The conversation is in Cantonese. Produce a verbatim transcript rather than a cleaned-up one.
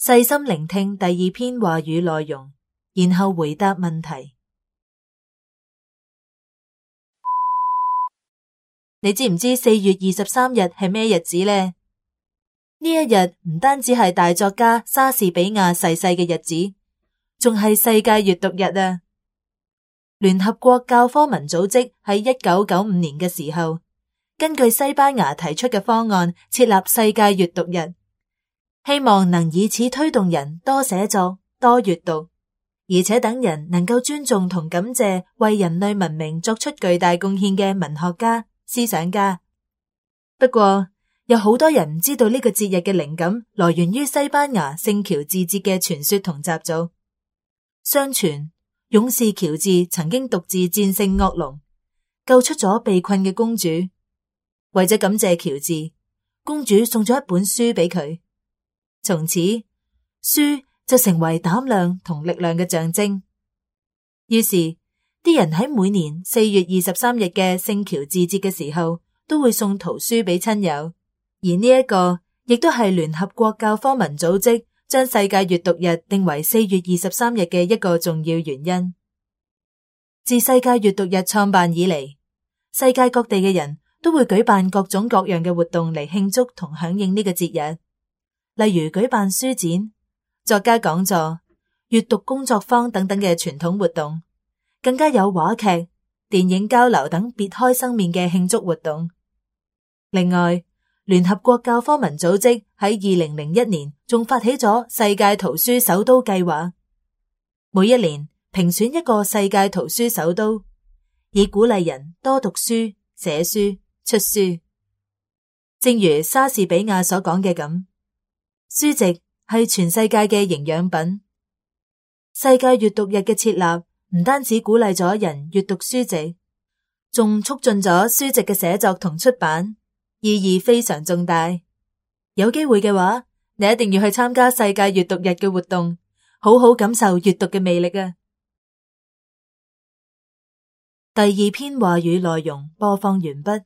細心聆聽第二篇話語內容，然後回答問題。你知唔知四月二十三日係咩日子呢？呢一日唔單止係大作家莎士比亞逝世嘅日子，仲係世界閱讀日啊！聯合國教科文組織喺一九九五年嘅時候，根據西班牙提出嘅方案設立世界閱讀日，希望能以此推動人多寫作、多閱讀，而且等人能夠尊重同感謝為人類文明作出巨大貢獻嘅文學家、思想家。不過，有好多人唔知道呢個節日嘅靈感來源於西班牙聖喬治節嘅傳說同習俗。相傳，勇士喬治曾經獨自戰勝惡龍，救出咗被困嘅公主。為咗感謝喬治，公主送咗一本書俾佢。從此，書就成為膽量同力量嘅象徵。於是，啲人喺每年四月二十三日嘅聖喬治節嘅時候，都會送圖書俾親友。而呢一個亦都係聯合國教科文組織將世界閱讀日定為四月二十三日嘅一個重要原因。自世界閱讀日創辦以嚟，世界各地嘅人都會舉辦各種各樣嘅活動嚟慶祝同響應呢個節日，例如舉辦書展、作家講座、閱讀工作坊等等嘅傳統活動，更加有話劇、電影交流等別開生面嘅慶祝活動。另外，聯合國教科文組織喺二零零一年仲發起咗世界圖書首都計劃，每一年評選一個世界圖書首都，以鼓勵人多讀書、寫書、出書。正如莎士比亞所講嘅咁，書籍係全世界嘅營養品。世界閱讀日嘅設立唔單止鼓勵咗人閱讀書籍，仲促進咗書籍嘅寫作同出版，意義非常重大。有機會嘅話，你一定要去參加世界閱讀日嘅活動，好好感受閱讀嘅魅力啊！第二篇話語內容播放完畢。